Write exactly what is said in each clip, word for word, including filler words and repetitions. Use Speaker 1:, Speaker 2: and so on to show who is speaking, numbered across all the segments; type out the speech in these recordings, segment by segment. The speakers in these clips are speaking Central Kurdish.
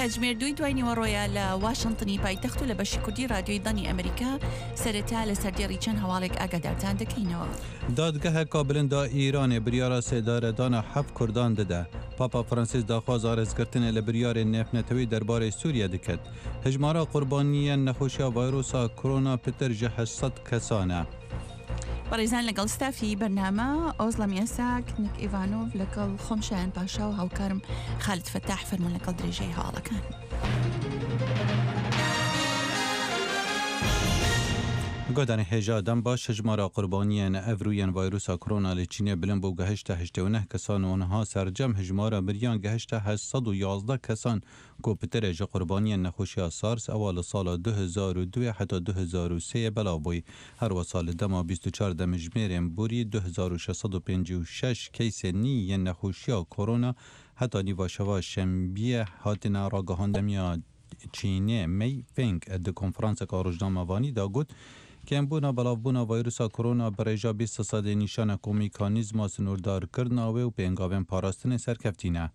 Speaker 1: کاتژمێر دووی دوای نیوەڕۆیە لە واشنتنی پایتەخت و لە بەشی کوردی رادیۆی دەنگی ئەمریکا سەرەتا لە سەردێڕی چەند هەواڵێک ئاگادارتان دەکەینەوە.
Speaker 2: دادگەهەکا بلندا ئیرانێ بریارا سێدارەدانا هەفت کوردان ددە. پاپا فرانسیس داخوازا رێزگرتنێ لە بریارێ نێفنەتەوەی دەربارەی سوریە دکەت. هژمارا قوربانیەن نەخۆشیا ڤایرۆسا کرۆنا پتر ژ هەشت سەد کەسانە.
Speaker 1: بەڕێزان لەگەڵ ستافی بەرنامە ئۆزڵەم یاساک، نیک ئیڤانۆڤ، لەگەڵ خۆم شایان پاشا و هاوکارم خالد فەتاح فەرموون لەگەڵ درێژەی هەواڵەکان.
Speaker 2: گۆدانی هێژا دەم باش هژمارا قوربانیەن ئەڤرویەن ڤایرۆسا کرۆنا لە چینێ بلند بوو گەهشتە هەشتێ و نەه کەسان و نها سەرجەم هژمارا مریان گەهشتە هەشت سەد و یازدە کەسان کو پترێ ژ قوربانیەن نەخۆشیا سارس ئەوە لە ساڵا دو هەزار و دوێ حتا دو هەزار و سێ بەلاو بووی. هەروەسا لە دەما بیست و چوار دەمژمێرێن بوری دو هەزار و شەش سەد و پەنجی و شەش کەیسێ نییەن نەخۆشیا کۆرۆنا حتا نیڤاشەوا شەمبیە هاتنە ڕاگەهاندەمیا چینێ مەی فێنگ د کۆنفرانسەکە ڕۆژنامەوانی دا گوت کێمبوونا بەڵاوبوونا ڤایرۆسا کۆرۆنا بە ڕێژا بیست سەدێ نیشانە کو میکانیزما سنووردارکردناوێ و پێنگاوێن پاراستنێ سەرکەفتینە.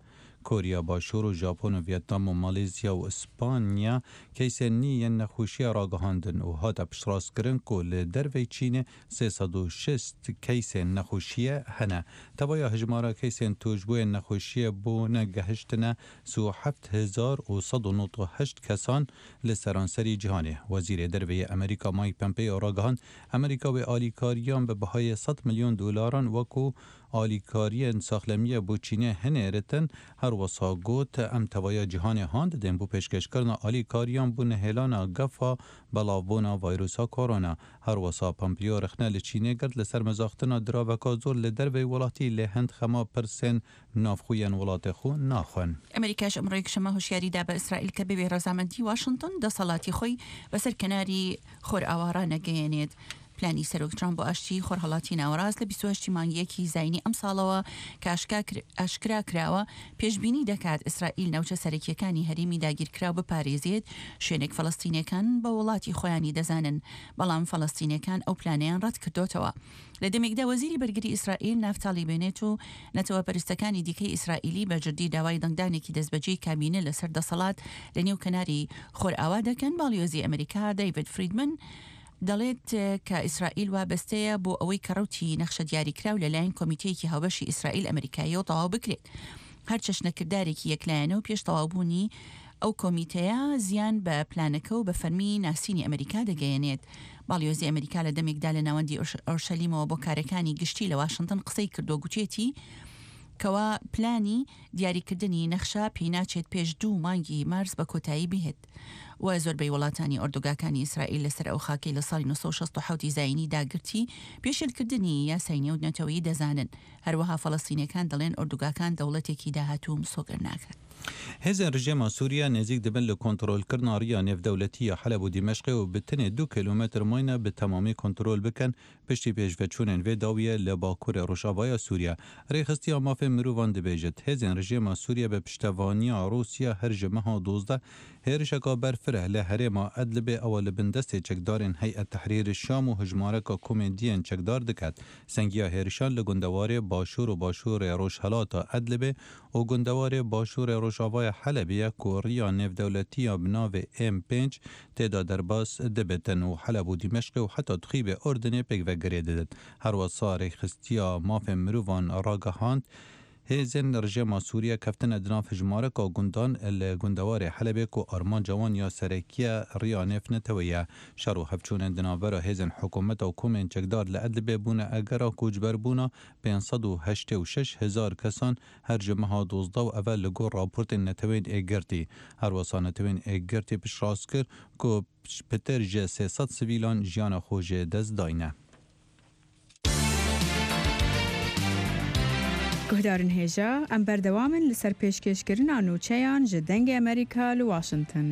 Speaker 2: کۆریا باشوور و ژاپۆن و ڤیێتنام و مالیزیا و ئیسپانیا کەیسێ نییەن نەخۆشیە ڕاگەهاندن و هاتە پشتڕاستکردن کو لە دەرڤەی چینێ سێ سەد و شەست کەیسێن نەخۆشیە هەنە. تەوایا هژمارە کەیسێن توشبووێن نەخۆشیە بوونە گەهشتنە سی و هەفت هەزار و سەد و نۆد و هەشت کەسان لە سەرانسەری جیهانێ. وەزیرێ دەرڤەی ئەمریکا مایک پەمپێیۆ ڕاگەهاند ئەمریکا وێ ئالیکاریان بە بەهای سەد ملیۆن دۆلاران وەکو ئالیکاریەن ساخلەمیە بۆ چینێ هەنێرتن. هەروەسا گوت ئەم تەوایا جیهانێ هان ددێن بۆ پێشکەشکردنا ئالیکاریان بۆ نەهێلانە گەفا بەڵاوبوونا ڤایرۆسا کۆرۆنا. هەروەسا پەمپیۆ رخنە لە چینێ گرت لەسەر مەزاختنا دراوەکا زۆر لە دەرڤەی وڵاتی لێ هەند خەما پرسێن ناوخۆیەن وڵاتێ خۆ ناخۆن.
Speaker 1: ئەمریکاش ئەمڕۆ یەکشەممە هۆشیاری دا بە ئیسرائیل کە بەبێ ڕەزامەندی واشنتن دەسەڵاتی خۆی بەسەر کەناری خۆرئاوا ڕانەگەیەنێت. پلانی سەرۆک ترامپ بۆ ئاشتی خۆرهەڵاتی ناوەڕاست لە بیست و هەشت مانگی یەکی زایینی ئەمساڵەوە کە ئاشکرا کراوە پێشبینی دەکات ئیسرائیل ناوچە سەرەکیەکانی هەرێمی داگیرکراو بپارێزێت، شوێنێک فەلەستینیەکان بە وڵاتی خۆیانی دەزانن، بەڵام فەلەستینیەکان ئەو پلانەیان ڕەت کردۆتەوە. لە دەمێکدا وەزیری بەرگری ئیسرائیل نافتالی بێنێت و نەتەوە پەرستەکانی دیکەی ئیسرائیلی بە جدی داوای دەنگدانێکی دەستبەجێی کابینە لەسەر دەسەڵات لە نێو کەناری خۆرئاوا دەکەن. باڵیۆزی ئەمریکا دەیڤد فریدمن دەڵێت کە ئیسرائیل وابەستەیە بۆ ئەوەی کە ڕوتی نەخشە دیاریکراو لەلایەن کۆمیتەیەکی هاوبەشی ئیسرائیل ئەمریکاییەوە تەواو بکرێت. هەر چەشنەکردارێکی یەکلایەنە و پێش تەواوبوونی ئەو کۆمیتەیە زیان بە پلانەکە و بە فەرمی ناسینی ئەمریکا دەگەیەنێت. باڵیۆزی ئەمریکا لە دەمێکدا لە ناوەندی ئۆرشەلیمەوە بۆ کارەکانی گشتی لە واشنتن قسەی کردووە، گوتێتی کەوا پلانی دیاریکردنی نەخشە پێی ناچێت پێش دوو مانگی مارس بە کۆتایی بهێت و زۆربەی وڵاتانی ئۆردوگاکانی ئیسرائیل لەسەر ئەو خاکەی لە ساڵی نۆ سەد و شەست و حەوت زایینی داگرتی پێشێلکردنی یاسای نێونەتەوەیی دەزانن. هەروەها فەلەستینیەکان دەڵێن ئۆردوگاکان دەوڵەتێکی داهاتوو مسۆگەر ناکات.
Speaker 2: هێزێن ڕژێما سووریا نزیک دەبن لە کۆنترۆلکردنا ڕیا نێودەولەتیە حەلەب و دیمەشقێ و بتنێ دوو کیلۆمەتر ماینە بە تەمامی کۆنترۆل بکەن پشتی پێشڤەچوونێن وێ داویە لە باکوورێ ڕۆژاڤایا سووریا. ڕێخستیا مافێ مرۆڤان دەبێژێت هێزێن ڕژێما سووریا بە پشتەوانیا ڕووسیا هەر ژ مەها دۆزدە هێرشەکە بەرفرە لە هەرێما ئەدلبێ ئەوە لە بندەستێ چەکدارێن هەیئەت تەحریر شام و هژمارەکە کۆمێدیەن چەکدار دکات. سەنگیا هێرشان لە گوندەوارێ باشوور و باشوورێ ڕۆژهەڵاتە ئەدلبێ و گوندەوارێ باشوورێ ڕۆژاڤای حەلەبیە کو ڕیا نێودەولەتیە بناوێ ئێم پێنج تێدا دەرباس دەبێتن و حەلەب و دیمەشقێ و حتا تخیبێ ئوردنێ پێکڤە گرێ دەدت. هەروەسا ڕێکخستیا مافێ مرۆڤان ڕاگەهاند هێزێن ڕژێما سووریا کەفتنە دناو هژمارەکە گوندان لە گوندەوارێ حەلەبێ کو ئارمانجا وان یا سەرەکیە ڕیا نێفنەتەوەیە. شەڕ و هەڤچوونێن دناڤەرا هێزێن حکوومەتە و کۆمێن چەکدار لە ئەدلبێ بوونە ئەگەرا کوچبەربوونا پێنج سەد و هەشتێ و شەش هەزار کەسان هەر ژ مەها دۆزدە و ئەڤە لە گۆر ڕاپۆرتێن نەتەوەیên ئێگرتی. هەروەسا نەتەوەیên ئێگرتی پشتڕاست کرد کو پتر ژ سێ سەد سڤیلان ژیانە خۆ ژێ دەست داینە.
Speaker 3: گوهدارن هێژا ئەم بەردەوامن لەسەر پێشکێشکردنا نوچەیان ژ دەنگی ئەمریکا لە واشنتن.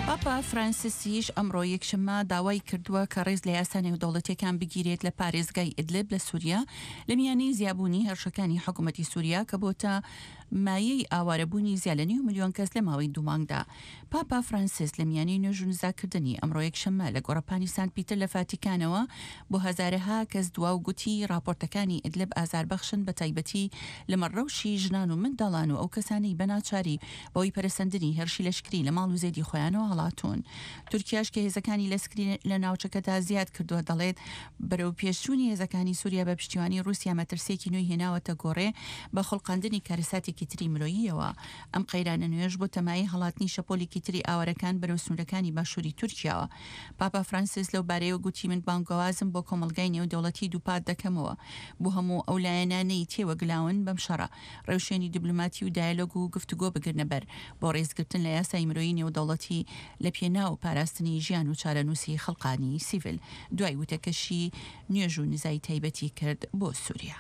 Speaker 1: پاپا پاپا فرانسیسیش ئەمڕۆ یەکشەممە داوای کردووە کە ڕێز لە یاسا نێودەوڵەتیەکان بگیرێت لە پارێزگای ئیدلب لە سووریا لە میانەی زیابوونی هێرشەکانی حکوومەتی سووریا کە بۆتە مایەی ئاوارەبوونی زیاد لە نیو ملیۆن کەس لە ماوەی دوو مانگدا. پاپا فرانسیس لە میانەی نوێژ و نزاکردنی ئەمڕۆ یەکشەممە لە گۆڕەپانی سانت پیتەر لە فاتیکانەوە بۆ هەزارەها کەس دوا و گوتی راپۆرتەکانی ئیدلب ئازاربەخشن بە تایبەتی لەمەڕ ڕەوشی ژنان و منداڵان و ئەو کەسانەی بە ناچاری بەهۆی پەرەسەندنی هێرشی لەشکری لە ماڵ و زێدی خۆیانەوە هەڵاتوون. تورکیاش کە هێزەکانی لەسکری لە ناوچەکەدا زیاد کردووە دەڵێت بەرەو پێشچوونی هێزەکانی سووریا بە پشتیوانی ڕووسیا مەترسییەکی نوێی هێناوەتە گۆڕێ بە خوڵقاندنی کارەساتێکی تری مرۆییەوە. ئەم قەیرانە نوێش بۆتە مایەی هەڵاتنی شەپۆلێکی تری ئاوارەکان بەرەو سنوورەکانی باشووری تورکیاوە. پاپا فرانسیس لەو بارەیەوە گوتی من بانگەوازم بۆ کۆمەڵگای نێودەوڵەتی دووپات دەکەمەوە بۆ هەموو ئەو لایەنانەی تێوەگلاون بەم شەڕە ڕێوشوێنی دیبلۆماتی و دایەلۆگ و گفتوگۆ بگرنە بەر بۆ ڕێزگرتن لە یاسای مرۆیی نێودەوڵەتی لە پێناو پاراستنی ژیان و چارەنووسی خەڵقانی سیڤیل. دوای وتەکەشی نوێژ و نزای تایبەتی کرد بۆ سووریا.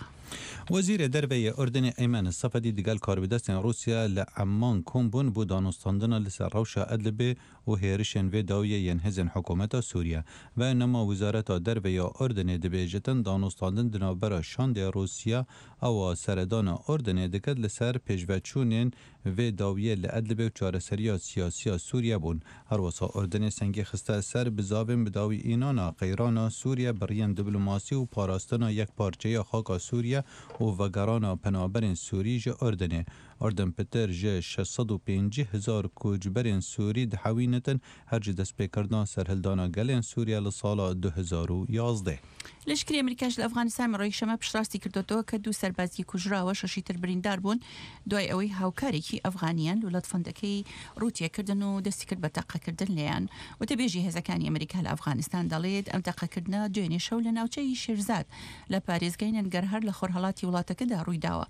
Speaker 2: وەزیر دەرڤەی ئوردنێ ئەیمەن سەفەدی دگەل کاربەدەستێن ڕووسیا لە عەممان کۆم بوون بۆ دانوستاندنا لەسەر ڕەوشا ئەدلبێ و هێرشێن ڤێ داویە یێن هێزێن حکوومەتا سووریە. بەیانناما وزارەتا دەرڤەیا ئوردنێ دبێژتن دانوستاندن د ناوبەرا شاندێ ڕووسیا ئەوە سەردانا ئوردنێ دکەت لەسەر پێشڤەچوونێن ڤێ داویە لە ئەدلبێ و چارەسەریا سیاسیا سووریە بوون. هەروەسا ئوردنێ سەنگی خستە سەر بزاڤێن بداوی ئینانا قەیرانا سووریە بڕیەن دیبلۆماسی و پاراستنا یەک پارچەیا خاکا سووریە و ڤەگەڕانا پەنابەرێن سووری ژ ئوردنێ. ئوردن پتر ژ شەش سەد و پێنجی هەزار کۆچبەرێن سووری دحەوینتن هەر ژ دەستپێکردنا سەرهەڵدانا گەلێن سووریە لە ساڵا دو هەزار و یازدە.
Speaker 1: لەشکری ئەمریکاش لە ئەفغانستان ئەمڕۆ یەکشەممە پشتڕاستی کردوەوە کە دوو سەربازی کوژراوە شەشی تر بریندار بوون دوای ئەوەی هاوکارێکی ئەفغانیان لوولە تفەنگەکەی ڕووتێکردن و دەستی کرد بە تەقەکردن لێیان. وتەبێژی هێزەکانی ئەمریکا لە ئەفغانستان دەڵێت ئەم تەقەکردنە دوێنێ شەو لە ناوچەی شێرزاد لە پارێزگای نەنگەرهار لە خۆرهەڵاتی وڵاتەکەدا ڕوویداوە.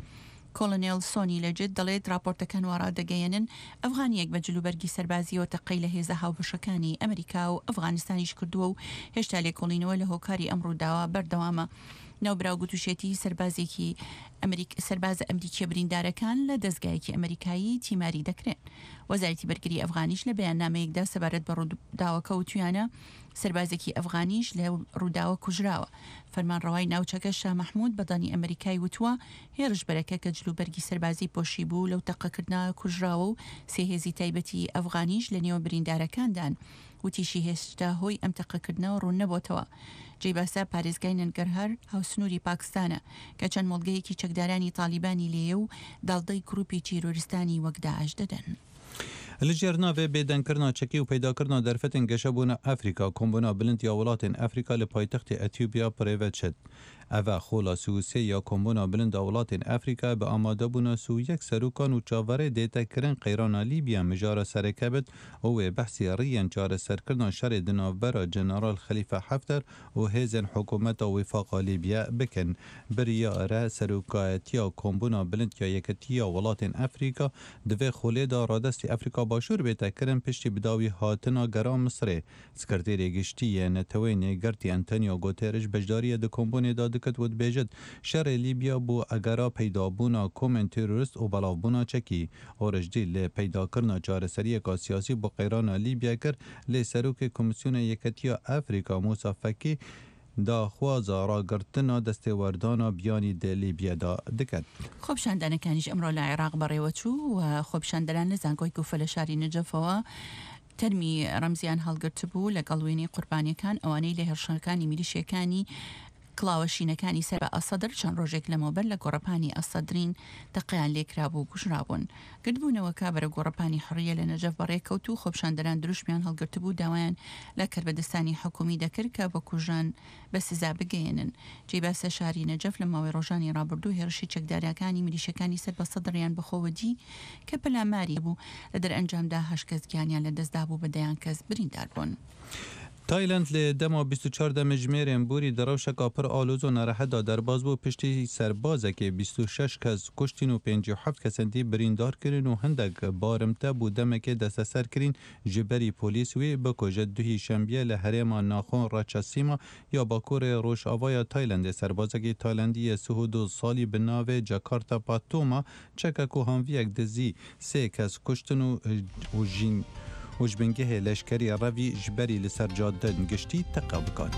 Speaker 1: کۆلۆنێل سۆنی لەجت دەڵێت راپۆرتەکان وا ڕادەگەیەنن ئەفغانیەک بە جلوبەرگی سەربازیەوە تەقەی لە هێزە هاوبەشەکانی ئەمریکا و ئەفغانستانیش کردووە و هێشتا لێکۆڵینەوە لە هۆکاری ئەم ڕووداوە بەردەوامە. ناوبراو گوتوشێتی سەربازێکی ئەمریک سەربازە ئەمریکیە بریندارەکان لە دەستگایەکی ئەمریکایی تیماری دەکرێن. وەزارەتی بەرگری ئەفغانیش لە بەیاننامەیەکدا سەبارەت بە ڕووداوەکە وتویانە سەربازێکی ئەفغانیش لە ڕووداوە کوژراوە. فەرمانڕەوای ناوچەکە شا مەحمود بەدانی ئەمریکای وتووە هێرشبەرەکە کە جلوبەرگی سەربازی پۆشی بوو لەو تەقەکردنە کوژراوە و سێ هێزی تایبەتی ئەفغانیش لە نێو بریندارەکاندان. وتیشی هێشتا هۆی ئەم تەقەکردنەوە ڕوون نەبۆتەوە. جێی باسە پارێزگای نەنگەرهار هاوسنووری پاکستانە کە چەند مۆڵگەیەکی چەکدارانی تالیبانی لێیە و داڵدەی گروپی تیرۆریستانی وەک داعش دەدەن.
Speaker 2: لە ژێر ناوێ بێدەنگکردنا چەکی و پەیداکردنا دەرفەتێن گەشەبوونە ئەفریکا کۆمبوونا بلند یا وڵاتێن ئەفریکا لە پایتەختی ئەتیوبیا پرێڤە چت. ئەڤ خۆلا سی و سێ یا کۆمبوونا بلندا وڵاتێن ئەفریکا بە ئامادەبوونا سی و یەک سەرۆکان و چاوەڕێ دێتەکردن قەیرانا لیبیا مژارە سەرەکە بێت و وێ بەحسی ڕیەن چارەسەرکردنا شەڕێ د ناوبەرا جەنەرال خەلیفە حەفتەر و هێزێن حکوومەتا ویفاقا لیبیا بکەن. بریارە سەرۆکایەتیا کۆمبوونا بلند یا یەکەتیا وڵاتێن ئەفریکا دوێ خولێدا ڕادەستی ئەفریکا باشوور بێتەکردن پشتی بداوی هاتنا گەرا میسرێ. سکرتێری گشتیە نەتەوەی نێگرتی ئەنتۆنیۆ گوتێرش بەشداریە د کۆمبوونێدا دکت و دبێژت شەڕێ لیبیا بۆ ئەگەرا پەیدابوونا کۆمێن تیرۆریست و بەڵاوبوونا چەکی. ئۆرشدی لێ پەیداکردنا چارەسەریەکا سیاسی بۆ قەیرانا لیبیا کرد لێ سەرۆکی کۆمیسیۆنە یەکەتیا ئەفریکا موسا فەکی داخوازا ڕاگرتنا دەستێوەردانا بیانی دە لیبیادا دکەت.
Speaker 1: خۆپیشاندانەکانیش ئەمڕۆ لە عێراق بەڕێوەچوو و خۆپیشاندەران لە زانکۆی کوفە لە شاری نەجەفەوە تەرمی ڕەمزیان هەڵگرتبوو لەگەڵ وێنەی قوربانیەکان ئەوانەی لە هێرشەکانی میلیشیەکانی کڵاوەشینەکانی سەر بە ئەسەدر چەند ڕۆژێک لەمەوبەر لە گۆڕەپانی ئەسەدرین تەقیان لێکرابوو و کوژرابوون. گردبوونەوەکە بەرە گۆڕەپانی حڕیە لە نەجەف بەڕێکەوت و خۆپیشاندەران دروشمیان هەڵگرتبوو داوایان لە کەربەدەستانی حکومی دەکرد کە بە کوژان بە سزا بگەیەنن. جێی باسە شاری نەجەف لە ماوەی ڕۆژانی ڕابردوو هێرشی چەکدارەکانی میلیشەکانی سەر بە سەدریان بەخۆوە دی کە پەلاماری بوو. لە دەرئەنجامدا هەشت کەس گیانیان لەدەستدا بوو بە دەیان کەس بریندار بوون.
Speaker 2: تایلەند لە دەما بیست و چوار دەمژمێرێن بوری دەڕەوشەکا پڕ ئالۆز و ناڕەحەتدا دەرباز بوو پشتی سەربازەکێ بیست و شەش کەس کوشتین و پێنجی و حەفت کەسەندی بریندار کرن و هەندێک بارمتە بوو دەمێکێ دەستەسەر کرین ji berî پۆلیس وێ بکوژە دوهی شەنبیە لە هەرێما ناخۆن ڕەچەسیما یا باکوورێ ڕۆژئاوایە تایلەندێ سەربازێکی تایلەندیە سه و دو ساڵی بە ناوێ جاکارتا پاتۆما چەکەک و هانڤیەک دزی سێ کەس کوشتن و ژین و ji bingehê leşkerî revî ji berî li ser cadên giştî teqe bikat.